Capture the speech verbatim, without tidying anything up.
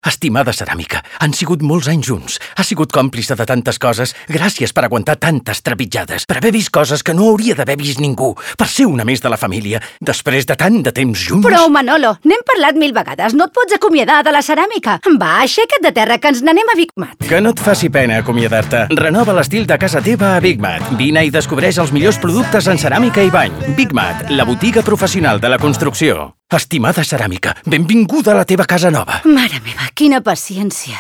Estimada Ceràmica, han sigut molts anys junts. Has sigut còmplice de tantes coses. Gràcies per aguantar tantes trepitjades, per haver vist coses que no hauria d'haver vist ningú, per ser una més de la família, després de tant de temps junts. Prou, Manolo, n'hem parlat mil vegades. No et pots acomiadar de la Ceràmica. Va, aixeca't de terra, que ens n'anem a Big Mat. Que no et faci pena acomiadar-te. Renova l'estil de casa teva a Big Mat. Vine i descobreix els millors productes en ceràmica i bany. Big Mat, la botiga professional de la construcció. Estimada Ceràmica, benvinguda a la teva casa nova. Mare meva, quina paciència.